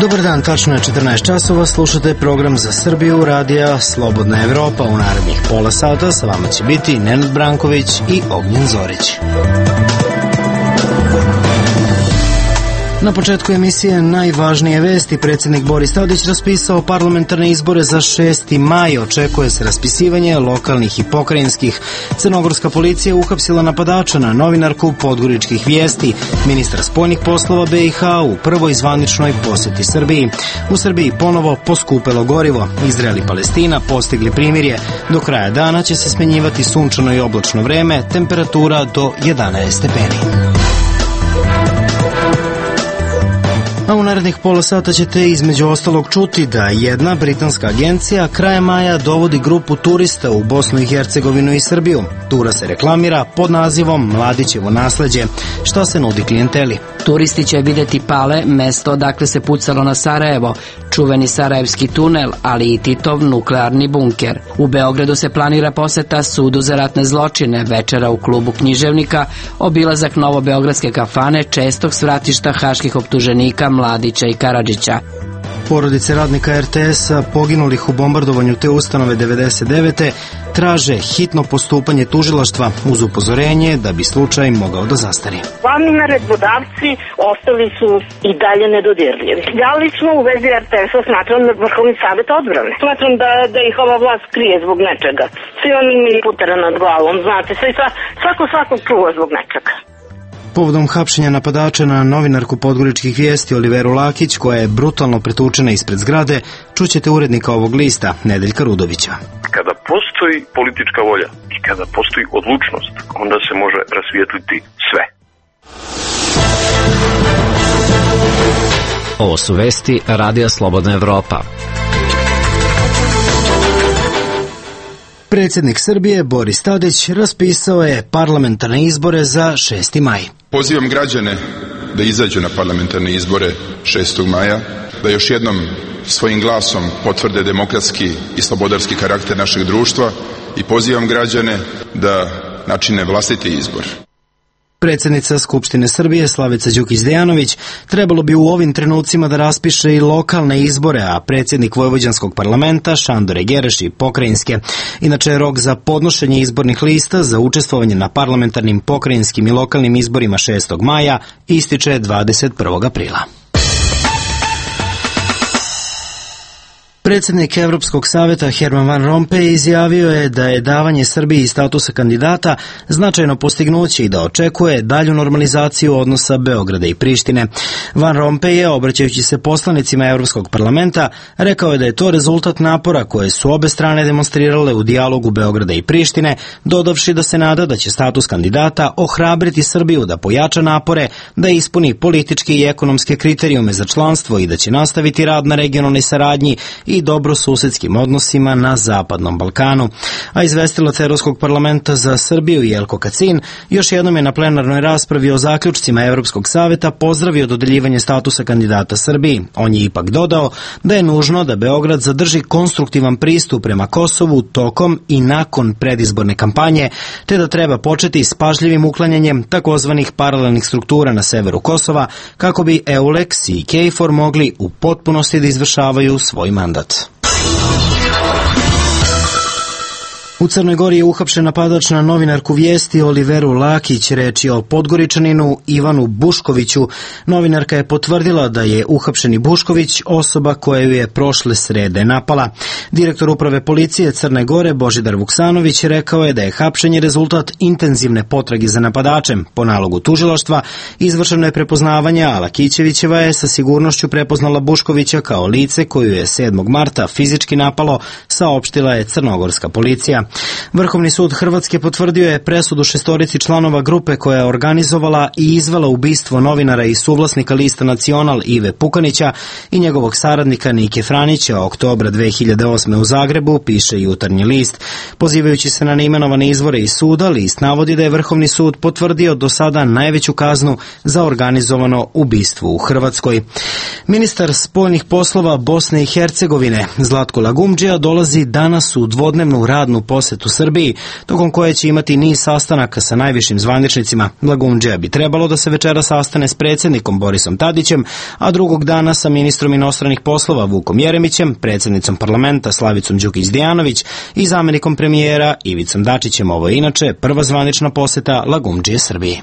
Dobar dan, tačno je 14 časova, slušate program za Srbiju, radija Slobodna Evropa. U narednih pola sata sa vama će biti Nenad Branković i Ognjen Zorić. Na početku emisije najvažnije vesti. Predsjednik Boris Tadić raspisao parlamentarne izbore za 6. maj. Očekuje se raspisivanje lokalnih i pokrajinskih. Crnogorska policija uhapsila napadača na novinarku Podgoričkih vijesti. Ministar spoljnih poslova BiH u prvoj zvaničnoj posjeti Srbiji. U Srbiji ponovo poskupelo gorivo. Izrael i Palestina postigli primirje. Do kraja dana će se smenjivati sunčano i oblačno vreme, temperatura do 11 stepeni. A u narednih pola sata ćete između ostalog čuti da jedna britanska agencija krajem maja dovodi grupu turista u Bosnu i Hercegovinu i Srbiju. Tura se reklamira pod nazivom Mladićevo nasleđe. Šta se nudi klijenteli? Turisti će vidjeti Pale, mesto odakle se pucalo na Sarajevo, čuveni Sarajevski tunel, ali i Titov nuklearni bunker. U Beogradu se planira poseta sudu za ratne zločine, večera u klubu književnika, obilazak novobeogradske kafane, čestog svratišta haških optuženika Mladića i Karadžića. Porodice radnika RTS-a poginulih u bombardovanju te ustanove 99. traže hitno postupanje tužilaštva uz upozorenje da bi slučaj mogao da zastari. Glavni naredbodavci ostali su i dalje nedodirljivi. Ja lično u vezi RTS-a smatram da Vrhovni savet odbrane. Smatram da ih ova vlast krije zbog nečega. Svi oni imaju putera nad glavom, znate, svako čuva zbog nečega. Povodom hapšenja napadača na novinarku Podgoričkih vijesti Oliveru Lakić, koja je brutalno pretučena ispred zgrade, čućete urednika ovog lista, Nedeljka Rudovića. Kada postoji politička volja i kada postoji odlučnost, onda se može rasvijetliti sve. Ovo su vesti Radija Slobodna Evropa. Predsjednik Srbije Boris Tadić raspisao je parlamentarne izbore za 6. maj. Pozivam građane da izađu na parlamentarne izbore 6. maja, da još jednom svojim glasom potvrde demokratski i slobodarski karakter našeg društva i pozivam građane da načine vlastiti izbor. Predsjednica Skupštine Srbije Slavica Đukić-Dejanović trebalo bi u ovim trenucima da raspiše i lokalne izbore, a predsjednik Vojvođanskog parlamenta Šandor Egereš i pokrajinske. Inače je rok za podnošenje izbornih lista za učestvovanje na parlamentarnim, pokrajinskim i lokalnim izborima 6. maja ističe 21. aprila. Predsjednik Evropskog saveta Herman Van Rompuy izjavio je da je davanje Srbiji statusa kandidata značajno postignuće i da očekuje dalju normalizaciju odnosa Beograda i Prištine. Van Rompuy je, obraćajući se poslanicima Evropskog parlamenta, rekao je da je to rezultat napora koje su obe strane demonstrirale u dijalogu Beograda i Prištine, dodavši da se nada da će status kandidata ohrabriti Srbiju da pojača napore, da ispuni političke i ekonomske kriterijume za članstvo i da će nastaviti rad na regionalnoj saradnji i dobrosusedskim odnosima na Zapadnom Balkanu. A izvestilac Evropskog parlamenta za Srbiju Jelko Kacin još jednom je na plenarnoj raspravi o zaključcima Evropskog saveta pozdravio dodeljivanje statusa kandidata Srbiji. On je ipak dodao da je nužno da Beograd zadrži konstruktivan pristup prema Kosovu tokom i nakon predizborne kampanje, te da treba početi s pažljivim uklanjanjem takozvanih paralelnih struktura na severu Kosova kako bi EULEX i KFOR mogli u potpunosti da izvršavaju svoj mandat. U Crnoj Gori je uhapšen napadač na novinarku Vijesti Oliveru Lakić, reč je o Podgoričaninu Ivanu Buškoviću. Novinarka je potvrdila da je uhapšeni Bušković osoba koja ju je prošle srede napala. Direktor uprave policije Crne Gore Božidar Vuksanović rekao je da je hapšenje rezultat intenzivne potrage za napadačem. Po nalogu tužilaštva izvršeno je prepoznavanje, a Lakićevićeva je sa sigurnošću prepoznala Buškovića kao lice koju je 7. marta fizički napalo, saopštila je crnogorska policija. Vrhovni sud Hrvatske potvrdio je presudu 6 članova grupe koja je organizovala i izvela ubistvo novinara i suvlasnika lista Nacional Ive Pukanića i njegovog saradnika Nike Franića oktobra 2008. u Zagrebu, piše Jutarnji list. Pozivajući se na neimenovane izvore iz suda, list navodi da je Vrhovni sud potvrdio do sada najveću kaznu za organizovano ubistvo u Hrvatskoj. Ministar spoljnih poslova Bosne i Hercegovine Zlatko Lagumdžija dolazi danas u dvodnevnu radnu posetu Srbiji, tokom koje će imati niz sastanaka sa najvišim zvaničnicima. Lagumdžija bi trebalo da se večera sastane s predsjednikom Borisom Tadićem, a drugog dana sa ministrom inostranih poslova Vukom Jeremićem, predsjednicom parlamenta Slavicom Đukić-Dejanović i zamjenikom premijera Ivicom Dačićem. Ovo je inače prva zvanična poseta Lagumdžije Srbiji.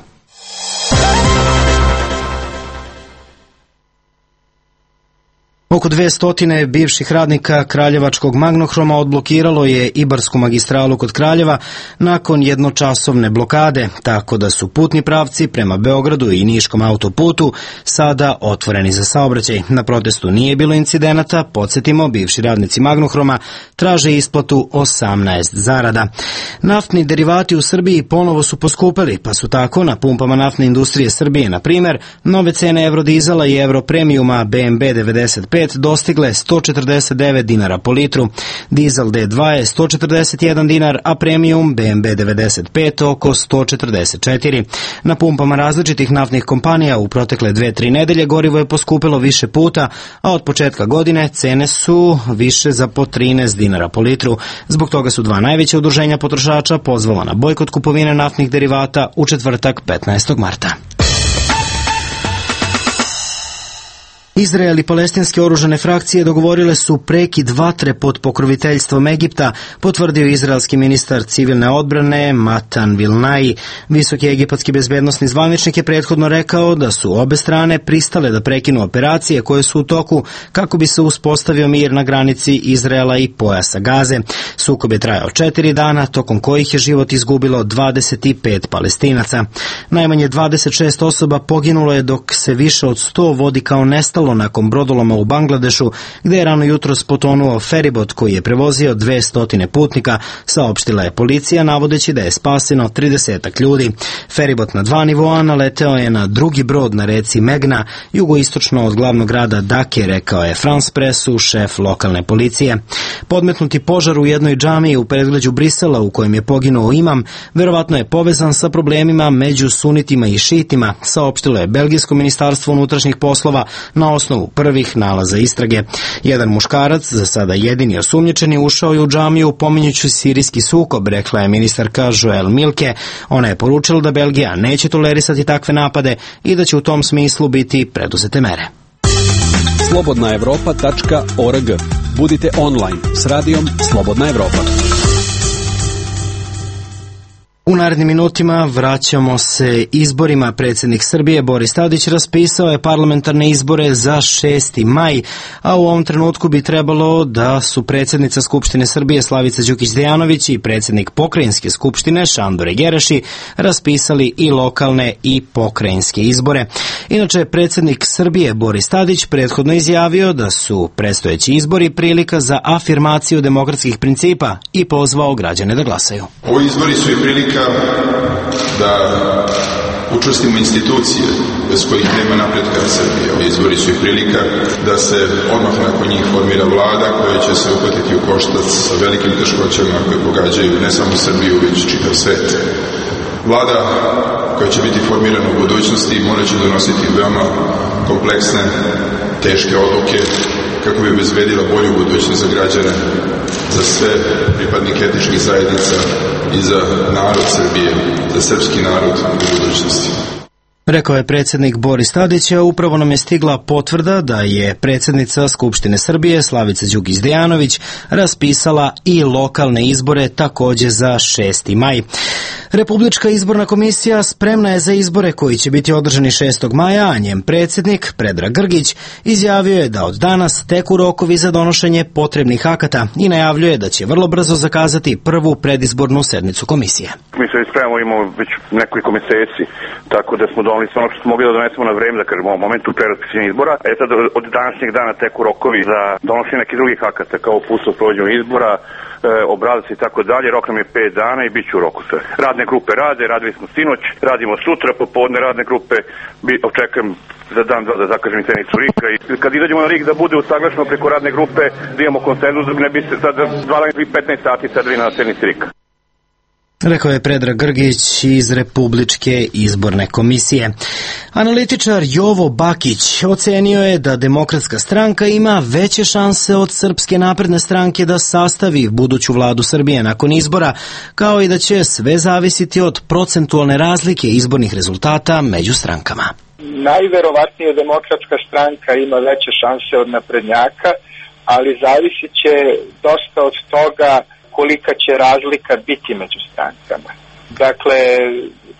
Oko 200 bivših radnika Kraljevačkog Magnohroma odblokiralo je Ibarsku magistralu kod Kraljeva nakon jednočasovne blokade, tako da su putni pravci prema Beogradu i Niškom autoputu sada otvoreni za saobraćaj. Na protestu nije bilo incidenata, podsjetimo, bivši radnici Magnohroma traže isplatu 18 zarada. Naftni derivati u Srbiji ponovo su poskupeli, pa su tako na pumpama naftne industrije Srbije, na primjer, nove cene Eurodizela i Europremijuma BMB 95 dostigle 149 dinara po litru, dizel D2 je 141 dinar, a premium BMB 95 oko 144. Na pumpama različitih naftnih kompanija u protekle 2-3 nedelje gorivo je poskupilo više puta, a od početka godine cene su više za po 13 dinara po litru. Zbog toga su dva najveća udruženja potrošača pozvala na bojkot kupovine naftnih derivata u četvrtak 15. marta. Izrael i palestinske oružane frakcije dogovorile su prekid vatre pod pokroviteljstvom Egipta, potvrdio izraelski ministar civilne odbrane Matan Vilnai. Visoki egipatski bezbednosni zvaničnik je prethodno rekao da su obe strane pristale da prekinu operacije koje su u toku kako bi se uspostavio mir na granici Izraela i pojasa Gaze. Sukob je trajao 4 dana, tokom kojih je život izgubilo 25 Palestinaca. Najmanje 26 osoba poginulo je, dok se više od 100 vodi kao nestalo nakon brodoloma u Bangladešu, gde je rano jutros potonuo feribot koji je prevozio 200 putnika, saopštila je policija, navodeći da je spaseno 30 ljudi. Feribot na 2 nivoa naleteo je na drugi brod na reci Megna, jugoistočno od glavnog grada Dake, rekao je France Pressu šef lokalne policije. Podmetnuti požar u jednoj džamiji u predgrađu Brisela u kojem je poginuo imam, verovatno je povezan sa problemima među sunitima i šitima, saopštilo je Belgijsko ministarstvo unutrašnjih poslova na osnovu prvih nalaza istrage. Jedan muškarac, za sada jedini osumnjičeni, ušao je u džamiju pominjući sirijski sukob, rekla je ministarka Joël Milke. Ona je poručila da Belgija neće tolerisati takve napade i da će u tom smislu biti preduzete mere. slobodnaevropa.org. Budite online s radijom Slobodna Evropa. U narednim minutima vraćamo se izborima. Predsjednik Srbije Boris Tadić raspisao je parlamentarne izbore za 6. maj, a u ovom trenutku bi trebalo da su predsjednica Skupštine Srbije Slavica Đukić-Dejanović i predsjednik Pokrajinske skupštine Šandor Gereši raspisali i lokalne i pokrajinske izbore. Inače, predsjednik Srbije Boris Tadić prethodno izjavio da su predstojeći izbori prilika za afirmaciju demokratskih principa i pozvao građane da glasaju. Ovi izbori su i prilika da učvrstimo institucije bez kojih nema napretka Srbije. Ovi izbori su i prilika da se odmah nakon njih formira vlada koja će se uhvatiti u koštac sa velikim teškoćama koje pogađaju ne samo Srbiju, već čitav svet. Vlada koja će biti formirana u budućnosti morat će donositi veoma kompleksne, teške odluke kako bi obezbedila bolju budućnost za građane, za sve pripadnike etničkih zajednica i za narod Srbije, za srpski narod u budućnosti. Rekao je predsjednik Boris Tadić, a upravo nam je stigla potvrda da je predsjednica Skupštine Srbije Slavica Đukić-Dejanović raspisala i lokalne izbore također za 6. maj. Republička izborna komisija spremna je za izbore koji će biti održani 6. maja, a njen predsjednik, Predrag Grgić, izjavio je da od danas teku rokovi za donošenje potrebnih akata i najavljuje da će vrlo brzo zakazati prvu predizbornu sednicu komisije. Mi se spremamo, imamo već nekoliko meseci, tako da smo doneli sve ono što smo mogli da donesemo na vreme, da kažemo u momentu pre raspisivanja izbora. Sad od današnjeg dana teku rokovi za donošenje nekih drugih akata, kao uputstvo o sprovođenju izbora, obrazac i tako dalje. Rok nam je 5 dana i bit će u roku sve. Radne grupe radili smo sinoć, radimo sutra, popodne radne grupe, očekujem za dan da zakažem sednicu RIK-a i kad izađemo na RIK da bude usaglašeno preko radne grupe, da imamo konsenzus, da ne bi se sad 15 sati sedeli na sednici RIK-a. Rekao je Predrag Grgić iz Republičke izborne komisije. Analitičar Jovo Bakić ocenio je da Demokratska stranka ima veće šanse od Srpske napredne stranke da sastavi buduću vladu Srbije nakon izbora, kao i da će sve zavisiti od procentualne razlike izbornih rezultata među strankama. Najverovatnije Demokratska stranka ima veće šanse od naprednjaka, ali zavisit će dosta od toga kolika će razlika biti među strankama. Dakle,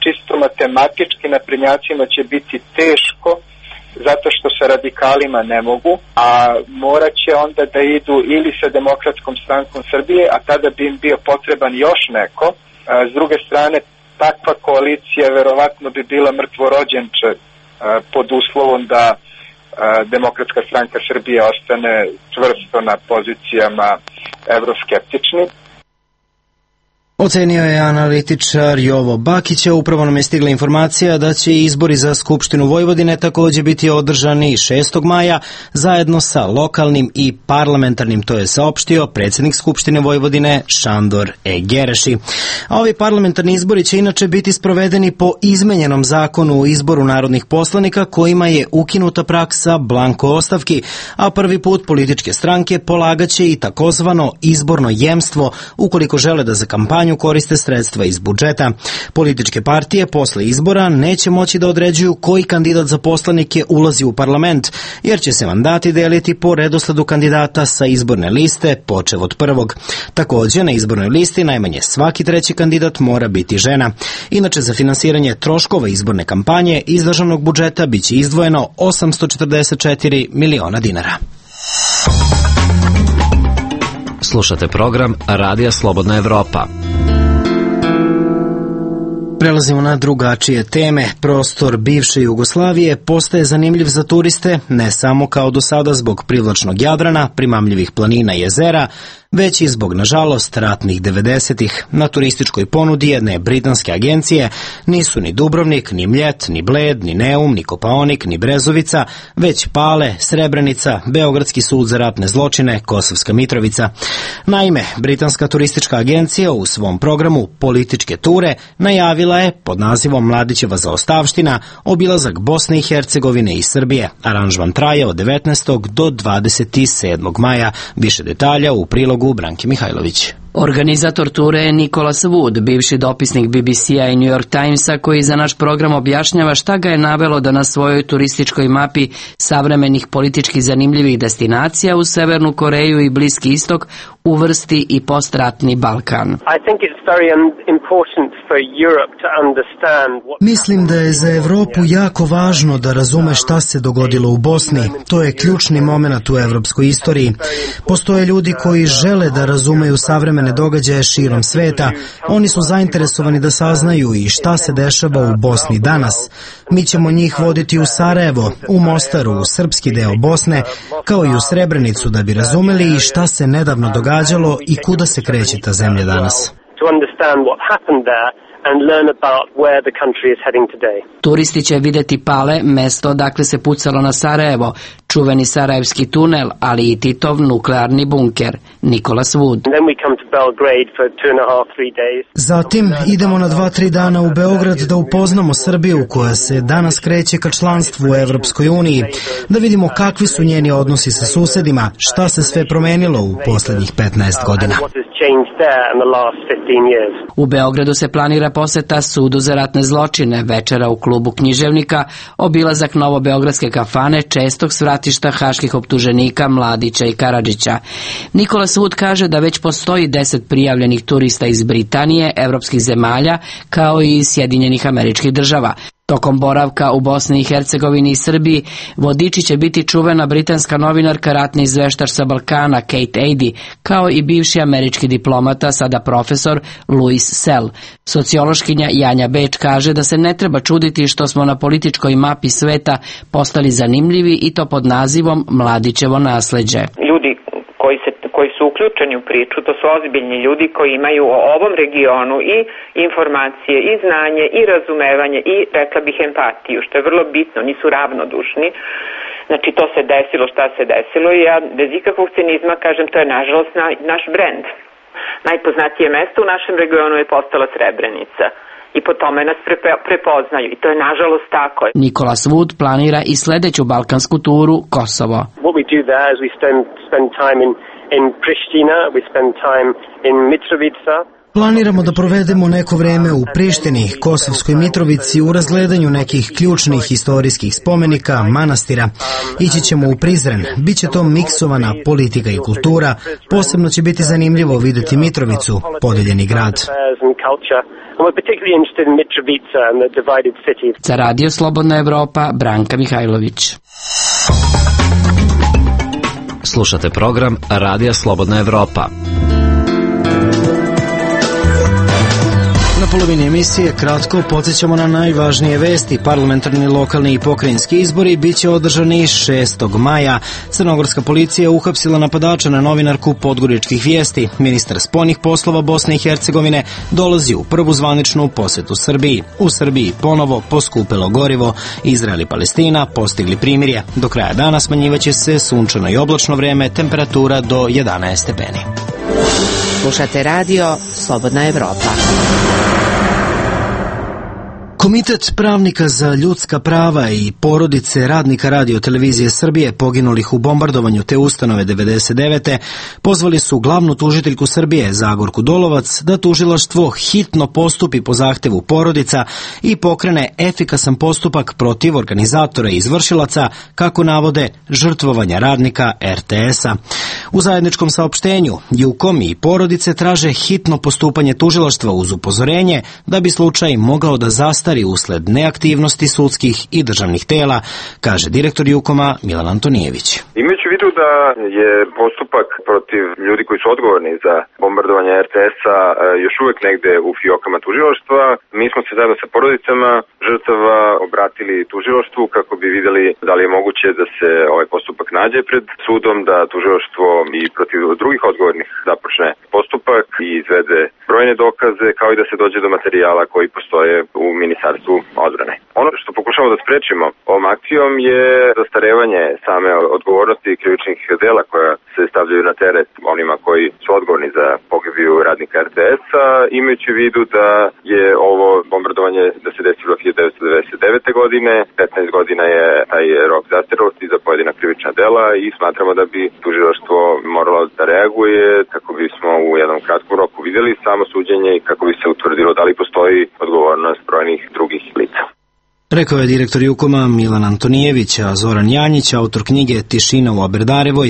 čisto matematički naprednjacima će biti teško zato što sa radikalima ne mogu, a morat će onda da idu ili sa Demokratskom strankom Srbije, a tada bi im bio potreban još neko. S druge strane, takva koalicija verovatno bi bila mrtvorođenče pod uslovom da Demokratska stranka Srbije ostane čvrsto na pozicijama evroskeptični. Ocenio je analitičar Jovo Bakića. Upravo nam je stigla informacija da će izbori za Skupštinu Vojvodine također biti održani 6. maja zajedno sa lokalnim i parlamentarnim, to je saopštio predsjednik Skupštine Vojvodine Šandor Gereši. A ovi parlamentarni izbori će inače biti sprovedeni po izmenjenom zakonu o izboru narodnih poslanika kojima je ukinuta praksa blanko ostavki, a prvi put političke stranke polagaće i takozvano izborno jemstvo ukoliko žele da za kampanju koriste sredstva iz budžeta. Političke partije posle izbora neće moći da određuju koji kandidat za poslanike ulazi u parlament, jer će se mandati deliti po redosledu kandidata sa izborne liste, počev od prvog. Također, na izbornoj listi najmanje svaki treći kandidat mora biti žena. Inače, za finansiranje troškova izborne kampanje iz državnog budžeta biće izdvojeno 844 miliona dinara. Slušate program Radija Slobodna Evropa. Prelazimo na drugačije teme. Prostor bivše Jugoslavije postaje zanimljiv za turiste, ne samo kao do sada zbog privlačnog Jadrana, primamljivih planina i jezera, već i zbog, nažalost, ratnih 90-ih. Na turističkoj ponudi jedne britanske agencije nisu ni Dubrovnik, ni Mljet, ni Bled, ni Neum, ni Kopaonik, ni Brezovica, već Pale, Srebrenica, Beogradski sud za ratne zločine, Kosovska Mitrovica. Naime, britanska turistička agencija u svom programu Političke ture najavila je pod nazivom Mladićeva zaostavština obilazak Bosne i Hercegovine i Srbije. Aranžman traje od 19. do 27. maja. Više detalja u prilogu Branke Mihajlović. Organizator ture je Nicholas Wood, bivši dopisnik BBC-a i New York Timesa, koji za naš program objašnjava šta ga je navelo da na svojoj turističkoj mapi savremenih politički zanimljivih destinacija u Severnu Koreju i Bliski istok uvrsti i postratni Balkan. Mislim da je za Evropu jako važno da razume šta se dogodilo u Bosni. To je ključni moment u evropskoj istoriji. Postoje ljudi koji žele da razumeju savremene događaje širom sveta. Oni su zainteresovani da saznaju i šta se dešava u Bosni danas. Mi ćemo njih voditi u Sarajevo, u Mostaru, u srpski deo Bosne, kao i u Srebrenicu da bi razumeli i šta se nedavno događalo i kuda se kreće ta zemlja danas. Turisti će vidjeti Pale, mesto odakle se pucalo na Sarajevo, čuveni sarajevski tunel, ali i Titov nuklearni bunker. Nicholas Wood. Zatim idemo na 2-3 dana u Beograd da upoznamo Srbiju koja se danas kreće ka članstvu u Evropskoj uniji, da vidimo kakvi su njeni odnosi sa susedima, šta se sve promenilo u posljednjih 15 godina. changed there in the last 15 years. U Beogradu se planira poseta Sudu za ratne zločine, večera u klubu Književnika, obilazak novobeogradske kafane, čestog svratišta haških optuženika Mladića i Karadžića. Nikolas Wood kaže da već postoji 10 prijavljenih turista iz Britanije, evropskih zemalja, kao i iz Sjedinjenih Američkih Država. Tokom boravka u Bosni i Hercegovini i Srbiji, vodiči će biti čuvena britanska novinarka, ratni izveštač sa Balkana Kate Adie, kao i bivši američki diplomata, sada profesor Louis Sell. Sociološkinja Janja Beč kaže da se ne treba čuditi što smo na političkoj mapi sveta postali zanimljivi i to pod nazivom Mladićevo nasleđe. Ljudi koji su uključeni u priču, to su ozbiljni ljudi koji imaju o ovom regionu i informacije, i znanje, i razumevanje, i rekla bih empatiju, što je vrlo bitno, nisu ravnodušni. Znači to se desilo šta se desilo i ja bez ikakvog cinizma kažem to je nažalost naš brend. Najpoznatije mesto u našem regionu je postala Srebrenica. I po tome nas prepoznaju. I to je nažalost tako. Nikolas Wood planira i sledeću balkansku turu, Kosovo. What we do there is we spend time in Pristina, we spend time in Mitrovica. Planiramo da provedemo neko vreme u Prištini, Kosovskoj Mitrovici, u razgledanju nekih ključnih historijskih spomenika, manastira. Ići ćemo u Prizren. Biće to miksovana politika i kultura. Posebno će biti zanimljivo videti Mitrovicu, podeljeni grad. Za Radio Slobodna Evropa, Branka Mihajlović. Slušate program Radija Slobodna Evropa. Na polovini emisije kratko podsjećamo na najvažnije vesti. Parlamentarni, lokalni i pokrajinski izbori biće održani 6. maja. Crnogorska policija uhapsila napadača na novinarku Podgoričkih vijesti. Ministar spoljnih poslova Bosne i Hercegovine dolazi u prvu zvaničnu posetu Srbiji. U Srbiji ponovo poskupelo gorivo. Izrael i Palestina postigli primirje. Do kraja dana smanjivaće se sunčano i oblačno vreme, temperatura do 11 stepeni. Slušate radio Slobodna Evropa. Komitet pravnika za ljudska prava i porodice radnika Radio-televizije Srbije poginulih u bombardovanju te ustanove 99. pozvali su glavnu tužiteljku Srbije, Zagorku Dolovac, da tužilaštvo hitno postupi po zahtevu porodica i pokrene efikasan postupak protiv organizatora i izvršilaca, kako navode, žrtvovanja radnika RTS-a. U zajedničkom saopštenju JUKOM i porodice traže hitno postupanje tužilaštva uz upozorenje da bi slučaj mogao da zastari usled neaktivnosti sudskih i državnih tela, kaže direktor JUKOM-a Milan Antonijević. Imajući u vidu da je postupak protiv ljudi koji su odgovorni za bombardovanje RTS-a još uvek negde u fiokama tužilaštva, mi smo se zajedno sa porodicama žrtava obratili tužilaštvu kako bi videli da li je moguće da se ovaj postupak nađe pred sudom, da tužilaštvo i protiv drugih odgovornih započne postupak i izvede brojne dokaze, kao i da se dođe do materijala koji postoje u Ministarstvu odbrane. Ono što pokušamo da sprečimo ovom akcijom je zastarevanje same odgovornosti krivičnih dela koja se stavljaju na teret onima koji su odgovorni za pogibiju radnika RTS-a, imajući u vidu da je ovo bombardovanje da se desilo 1999. godine, 15 godina je taj rok zastarelosti za pojedina krivična dela i smatramo da bi tužilaštvo moralo da reaguje kako bismo u jednom kratkom roku videli samo suđenje i kako bi se utvrdilo da li postoji odgovornost brojnih drugih lica. Rekao je direktor JUKOM-a Milan Antonijević, a Zoran Janjić, autor knjige Tišina u Aberdarevoj,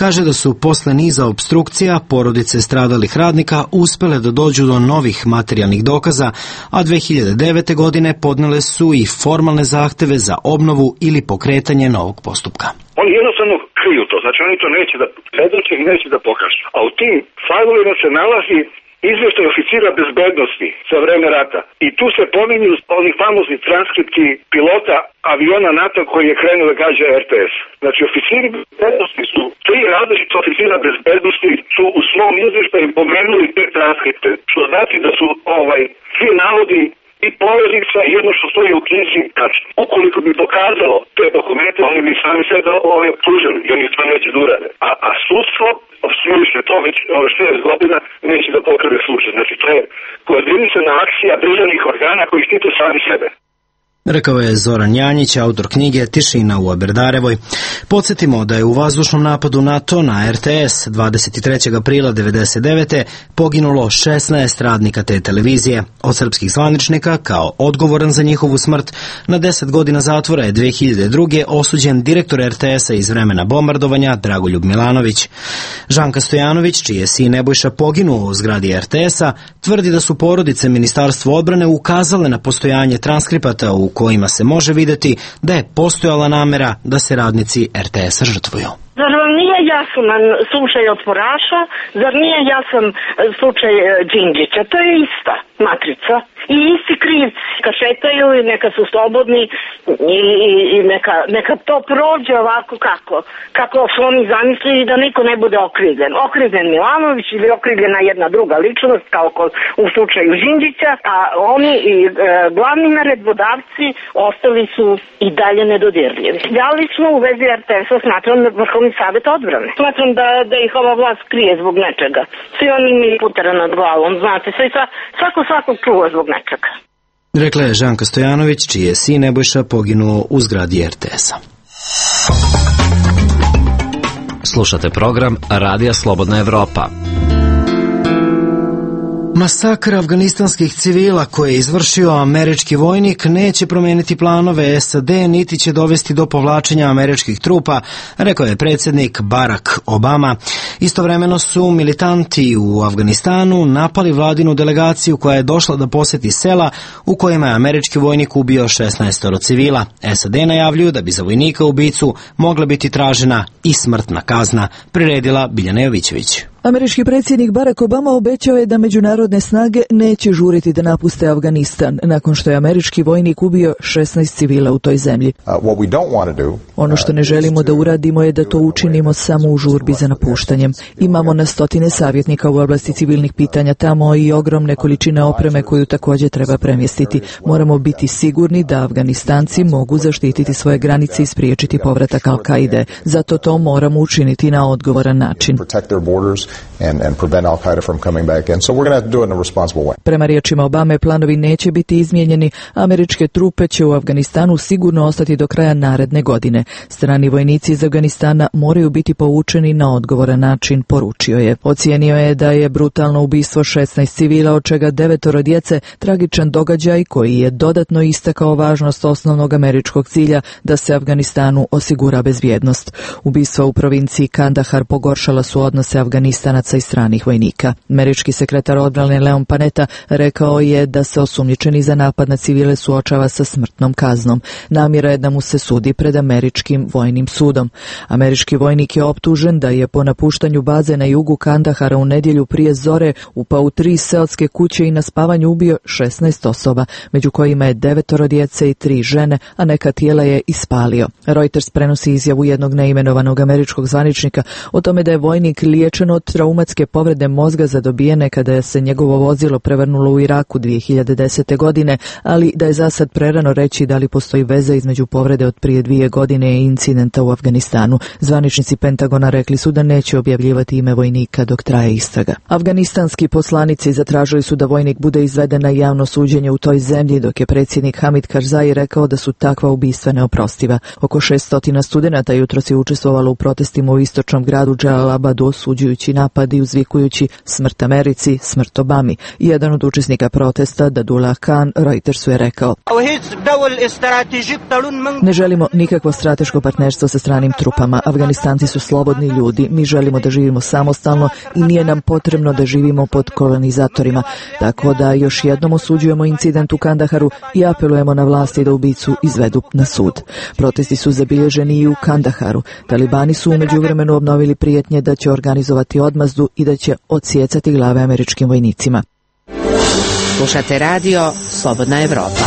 kaže da su posle niza obstrukcija porodice stradalih radnika uspele da dođu do novih materijalnih dokaza, a 2009. godine podnele su i formalne zahteve za obnovu ili pokretanje novog postupka. Oni jednostavno kriju to, znači oni to neće da predoče i neće da pokažu. A u tim fajlovima se nalazi izveštaj oficira bezbednosti za vreme rata. I tu se pominju oni famozni transkripti pilota aviona NATO koji je krenuo da gađa RTS. Znači, oficiri bezbednosti su, 3 različita oficira bezbednosti su u svom izveštaju pomenuli te transkripte. Što znači da su svi navodi i poveznica i jedno što stoji u knjizi tačno. Ukoliko bi dokazalo te dokumente, oni bi sami sve optužili i oni to neće da urade. A sudstvo obstruiše to već 6 godina neće da pokrene slučaj. Znači to je koordinisana akcija državnih organa koji štite sami sebe. Rekao je Zoran Janjić, autor knjige Tišina u Aberdarevoj. Podsjetimo da je u vazdušnom napadu NATO na RTS 23. aprila 1999. poginulo 16 radnika te televizije. Od srpskih zvaničnika, kao odgovoran za njihovu smrt, na 10 godina zatvora je 2002. osuđen direktor RTS-a iz vremena bombardovanja Dragoljub Milanović. Žanka Stojanović, čiji je sin Nebojša poginuo u zgradi RTS-a, tvrdi da su porodice Ministarstva odbrane ukazale na postojanje transkripata u kojima se može vidjeti da je postojala namera da se radnici RTS-a žrtvuju. Zar vam nije jasan slučaj Otporaša? Zar nije jasan slučaj Đinđića? To je ista matrica i isti krivci. Kad šetaju i neka su slobodni i neka to prođe ovako kako su oni zamislili, da niko ne bude okrivljen. Okrivljen Milanović ili okrivljena jedna druga ličnost kao u slučaju Đinđića, a oni glavni naredbodavci ostali su i dalje nedodirljivi. Javili smo u vezi RTS-a, smatram Vrhovni savet odbrane. Smatram da ih ova vlast krije zbog nečega. Svi oni imaju putera nad glavom, znate, svakog čuva zbog nečega. Rekla je Žanka Stojanović, čiji je sin Nebojša poginuo u zgradi RTS-a. Slušate program Radija Slobodna Evropa. Masakr afganistanskih civila koje je izvršio američki vojnik neće promijeniti planove SAD niti će dovesti do povlačenja američkih trupa, rekao je predsjednik Barack Obama. Istovremeno su militanti u Afganistanu napali vladinu delegaciju koja je došla da posjeti sela u kojima je američki vojnik ubio 16 civila. SAD najavljuju da bi za vojnika ubicu mogla biti tražena i smrtna kazna, priredila Biljana Jovićević. Američki predsjednik Barack Obama obećao je da međunarodne snage neće žuriti da napuste Afganistan nakon što je američki vojnik ubio 16 civila u toj zemlji. Ono što ne želimo da uradimo je da to učinimo samo u žurbi za napuštanjem. Imamo na stotine savjetnika u oblasti civilnih pitanja tamo i ogromne količine opreme koju također treba premjestiti. Moramo biti sigurni da Afganistanci mogu zaštititi svoje granice i spriječiti povratak Al-Kaide. Zato to moramo učiniti na odgovoran način. And prevent Al-Qaeda from coming back in. So we're going to have to do it in a responsible way. Prema riječima Obame, planovi neće biti izmijenjeni. Američke trupe će u Afganistanu sigurno ostati do kraja naredne godine. Strani vojnici iz Afganistana moraju biti povučeni na odgovoran način, poručio je. Ocijenio je da je brutalno ubistvo 16 civila, od čega 9 djece, tragičan događaj koji je dodatno istakao važnost osnovnog američkog cilja da se Afganistanu osigura bezbjednost. Ubistva u provinciji Kandahar pogoršala su odnose Afganistanaca i stranih vojnika. Američki sekretar odbrane Leon Panetta rekao je da se osumnjičeni za napad na civile suočava sa smrtnom kaznom. Namjera je da mu se sudi pred američkim vojnim sudom. Američki vojnik je optužen da je po napuštanju baze na jugu Kandahara u nedjelju prije zore upao u 3 seoske kuće i na spavanju ubio 16 osoba, među kojima je 9 djece i 3 žene, a neka tijela je ispalio. Reuters prenosi izjavu jednog neimenovanog američkog zvaničnika o tome da je vojnik liječen od traumatske povrede mozga zadobijene kada je se njegovo vozilo prevrnulo u Iraku 2010. godine, ali da je za sad prerano reći da li postoji veza između povrede od prije 2 godine i incidenta u Afganistanu. Zvaničnici Pentagona rekli su da neće objavljivati ime vojnika dok traje istraga. Afganistanski poslanici zatražili su da vojnik bude izveden na javno suđenje u toj zemlji, dok je predsjednik Hamid Karzai rekao da su takva ubistva neoprostiva. Oko 600 studenata jutros je učestvovalo u protestima u istočnom gradu Dželalabadu, osuđujući napad i uzvikujući smrt Americi, smrt Obami. Jedan od učesnika protesta, Dadullah Khan, Reutersu je rekao: ne želimo nikakvo strateško partnerstvo sa stranim trupama. Afganistanci su slobodni ljudi. Mi želimo da živimo samostalno i nije nam potrebno da živimo pod kolonizatorima. Tako da još jednom osuđujemo incident u Kandaharu i apelujemo na vlasti da ubicu izvedu na sud. Protesti su zabilježeni i u Kandaharu. Talibani su u međuvremenu obnovili prijetnje da će organizovati odmazdu i da će odsjecati glave američkim vojnicima. Slušate radio Slobodna Evropa.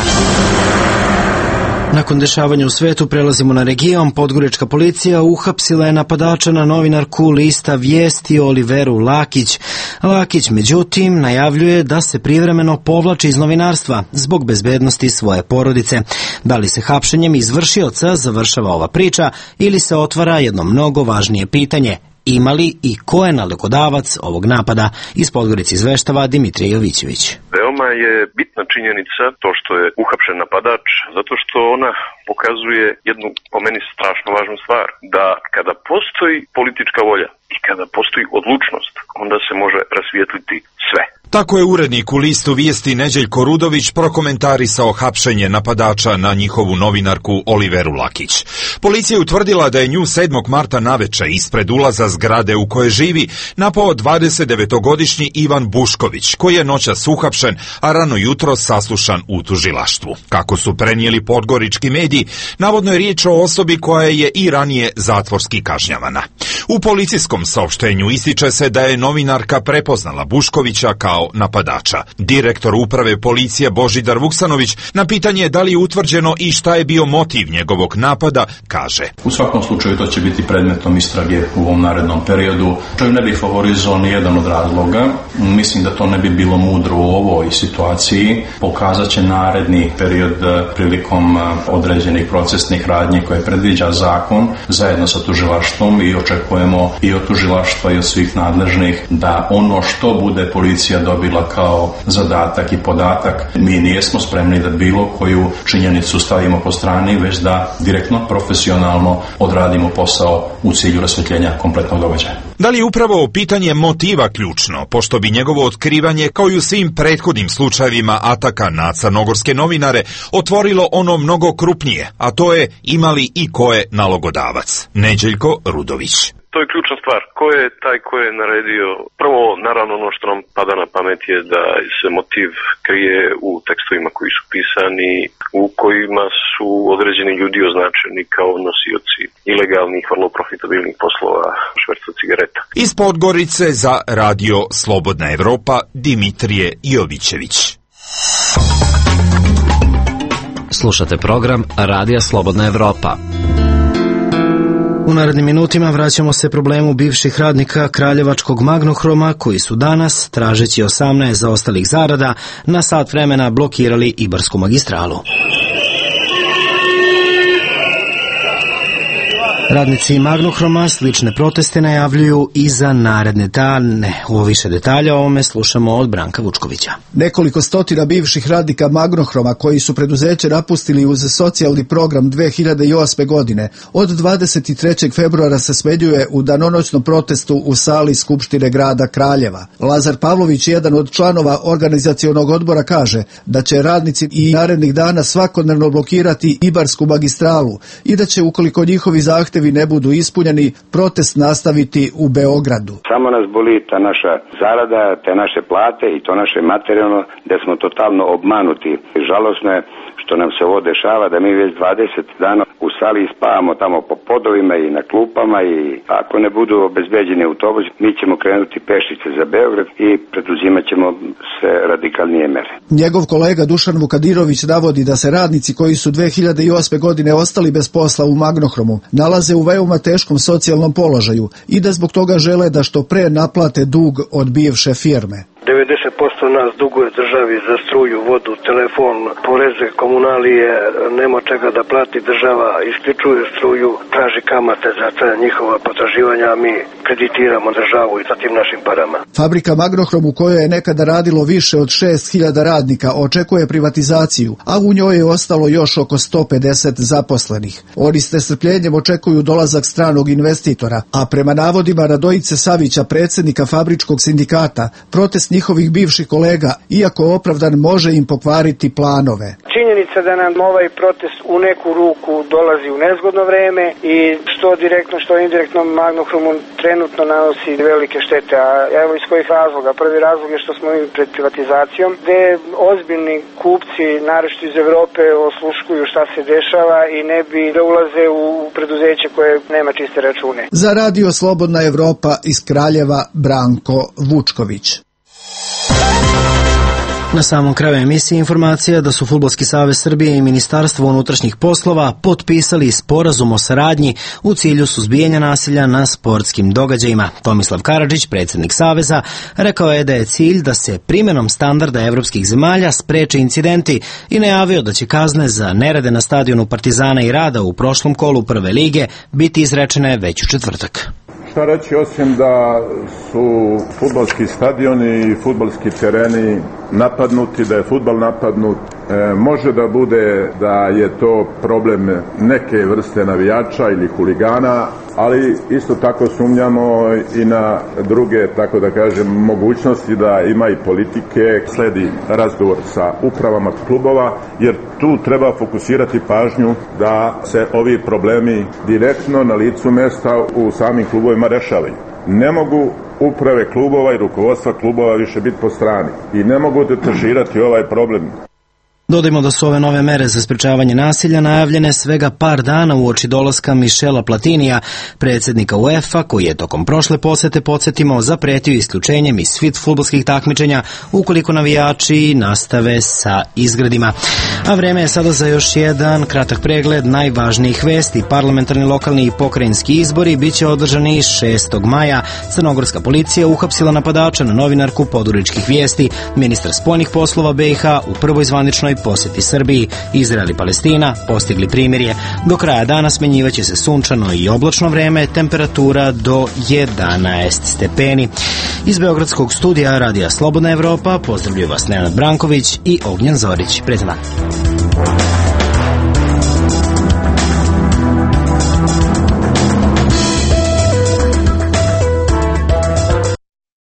Nakon dešavanja u svetu prelazimo na region. Podgorička policija uhapsila je napadača na novinarku lista Vijesti Oliveru Lakić. Lakić, međutim, najavljuje da se privremeno povlači iz novinarstva zbog bezbednosti svoje porodice. Da li se hapšenjem izvršioca završava ova priča ili se otvara jedno mnogo važnije pitanje: ima li i ko je nalogodavac ovog napada? Iz Podgorice izveštava Dimitrije Jovićević. Veoma veoma je bitna činjenica to što je uhapšen napadač, zato što ona pokazuje jednu, po meni, strašno važnu stvar, da kada postoji politička volja i kada postoji odlučnost, onda se može rasvijetliti sve. Tako je urednik u listu Vijesti Neđeljko Rudović prokomentarisao hapšenje napadača na njihovu novinarku Oliveru Lakić. Policija je utvrdila da je nju 7. marta naveče ispred ulaza zgrade u kojoj živi napao 29-godišnji Ivan Bušković, koji je noćas uhapšen, a rano jutro saslušan u tužilaštvu. Kako su prenijeli podgorički mediji, navodno je riječ o osobi koja je i ranije zatvorski kažnjavana. U policijskom saopštenju ističe se da je novinarka prepoznala Buškovića kao napadača. Direktor uprave policije Božidar Vuksanović na pitanje da li je utvrđeno i šta je bio motiv njegovog napada kaže: U svakom slučaju to će biti predmetom istrage u ovom narednom periodu. To ne bi favorizovao ni jedan od razloga. Mislim da to ne bi bilo mudro u ovoj situaciji. Pokazat će naredni period prilikom određenih procesnih radnji koje predviđa zakon zajedno sa tužilaštvom i očekujemo i od tužilaštva i od svih nadležnih da ono što bude policija dobila kao zadatak i podatak, mi nijesmo spremni da bilo koju činjenicu stavimo po strani, već da direktno, profesionalno odradimo posao u cilju rasvjetljenja kompletnog događaja. Da li je upravo pitanje motiva ključno, pošto bi njegovo otkrivanje, kao i u svim prethodnim slučajevima ataka na crnogorske novinare, otvorilo ono mnogo krupnije, a to je imali i ko je nalogodavac? Neđeljko Rudović. To je ključna stvar. Ko je taj ko je naredio? Prvo, naravno, ono što nam pada na pamet je da se motiv krije u tekstovima koji su pisani, u kojima su određeni ljudi označeni kao nosioci ilegalnih, vrlo profitabilnih poslova šverca cigareta. Iz Podgorice za Radio Slobodna Evropa, Dimitrije Jovićević. Slušate program Radija Slobodna Evropa. U narednim minutima vraćamo se problemu bivših radnika Kraljevačkog Magnohroma koji su danas, tražeći 18 zaostalih zarada, na sat vremena blokirali Ibarsku magistralu. Radnici Magnohroma slične proteste najavljuju i za naredne dane. U više detalja o ovome slušamo od Branka Vučkovića. Nekoliko stotina bivših radnika Magnohroma koji su preduzeće napustili uz socijalni program 2008. godine od 23. februara se smeđuje u danonoćnom protestu u sali Skupštine grada Kraljeva. Lazar Pavlović, jedan od članova organizacionog odbora, kaže da će radnici i narednih dana svakodnevno blokirati Ibarsku magistralu i da će, ukoliko njihovi zahtevi ne budu ispunjeni, protest nastaviti u Beogradu. Samo nas boli ta naša zarada, te naše plate i to naše materijalno, da smo totalno obmanuti. Žalosno je što nam se ovo dešava, da mi već 20 dana u sali spavamo tamo po podovima i na klupama i ako ne budu obezbeđeni autobusi, mi ćemo krenuti pešice za Beograd i preduzimat ćemo se radikalnije mere. Njegov kolega Dušan Vukadirović navodi da se radnici koji su 2008. godine ostali bez posla u Magnohromu nalaze u veoma teškom socijalnom položaju i da zbog toga žele da što pre naplate dug od bivše firme. 90% nas duguje državi za struju, vodu, telefon, poreze, komunalije, nema čega da plati država, isključuje struju, traži kamate za te njihova potraživanja, a mi kreditiramo državu i sa tim našim parama. Fabrika Magnohrom, u kojoj je nekada radilo više od 6.000 radnika, očekuje privatizaciju, a u njoj je ostalo još oko 150 zaposlenih. Oni s nestrpljenjem očekuju dolazak stranog investitora, a prema navodima Radojice Savića, predsjednika fabričkog sindikata, protest njihovih bivših kolega, iako opravdan, može im pokvariti planove. Činjenica da nam ovaj protest u neku ruku dolazi u nezgodno vreme i što direktno, što indirektno Magnohromu trenutno nanosi velike štete. A evo iz kojih razloga. Prvi razlog je što smo mi pred privatizacijom, gde ozbiljni kupci, naročito iz Evrope, osluškuju šta se dešava i ne bi da ulaze u preduzeće koje nema čiste račune. Za Radio Slobodna Evropa iz Kraljeva, Branko Vučković. Na samom kraju emisije informacija da su Fudbalski savez Srbije i Ministarstvo unutrašnjih poslova potpisali sporazum o saradnji u cilju suzbijanja nasilja na sportskim događajima. Tomislav Karadžić, predsjednik saveza, rekao je da je cilj da se primjenom standarda evropskih zemalja spreče incidenti i najavio da će kazne za nerede na stadionu Partizana i Rada u prošlom kolu prve lige biti izrečene već u četvrtak. Šta reći osim da su fudbalski stadioni i fudbalski tereni napadnuti, da je fudbal napadnut. Može da bude da je to problem neke vrste navijača ili huligana, ali isto tako sumnjamo i na druge, tako da kažem, mogućnosti da ima i politike. Sledi razgovor sa upravama klubova, jer tu treba fokusirati pažnju da se ovi problemi direktno na licu mesta u samim klubovima rešavaju. Ne mogu uprave klubova i rukovodstva klubova više biti po strani i ne mogu detaširati ovaj problem. Dodajmo da su ove nove mere za sprečavanje nasilja najavljene svega par dana uoči dolaska Michela Platinija, predsjednika UEFA, koji je tokom prošle posete, podsjetimo, zapretio isključenjem iz svih fudbalskih takmičenja ukoliko navijači nastave sa izgredima. A vreme je sada za još jedan kratak pregled najvažnijih vesti. Parlamentarni, lokalni i pokrajinski izbori biće održani 6. maja. Crnogorska policija uhapsila napadača na novinarku Poduričkih vijesti. Ministar spoljnih poslova BiH u prvoj zvaničnoj posjeti Srbiji. Izrael i Palestina postigli primirje. Do kraja dana smenjivaće se sunčano i oblačno vreme, temperatura do 11 stepeni. Iz Beogradskog studija Radija Slobodna Evropa pozdravljaju vas Nenad Branković i Ognjen Zorić. Prijatno dan.